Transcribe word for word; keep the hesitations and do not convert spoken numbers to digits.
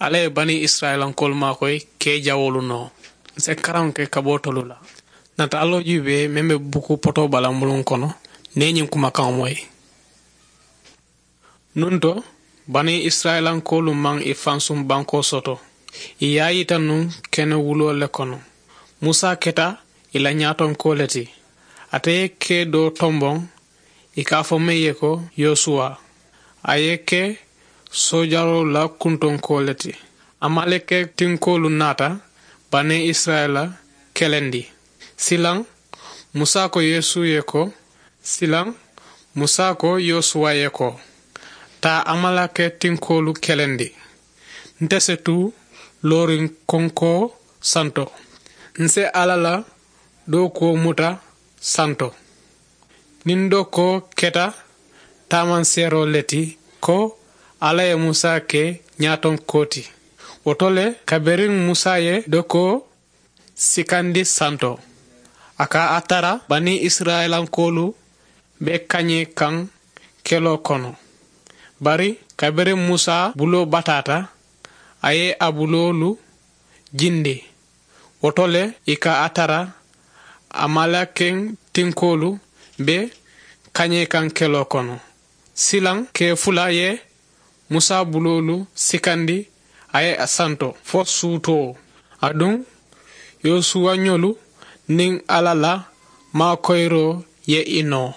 Alla ye banii isirayilankoolu maakoyi kee jawoolu noo. N si karaŋo ke kaboo tolu la. Nata alloo juubee meŋ be buku potoo bala muluŋ kono, niŋ i ye ñiŋ kumakaŋo moyi. Nuŋ to, banii isirayilankoolu maŋ i fansuŋ bankoo soto. I ye a yita nuŋ kene wuloo le kono. Musa keta i la ñaatonkoo le ti. Ate ye kee doo tomboŋ, i ka a fo meŋ ye ko yosuwa. A ye ke soojaroolu la kuntonkoo le ti. Amaleke tinkoolu naata banii isirayila kelendi. Silaŋ, musa ko yeesu ye ko silaŋ, musa ko yosuwa ye ko, taa amaleke tinkoolu kelendi. Nte se tu looriŋ konkoo santo. N se alla la dookuwo muta santo. Niŋ dookoo keta taamanseeroo le ti ko alla ye musa ke ñaatonkoo ti. Wo to le, kabiriŋ musa ye dookoo sikandi santo, a ka a tara banii isirayilankoolu be kañee kaŋ keloo kono. Bari kabiriŋ musa buloo bataata, a ye a buloolu jindi. Wo to le, i ka a tara amalekeŋ tinkoolu be kañee kaŋ keloo kono. Silaŋ kee fula ye musa buloolu sikandi, a ye a santo fo suutoo. Aduŋ yosuwañolu niŋ alla la maakoyiroo ye i noo.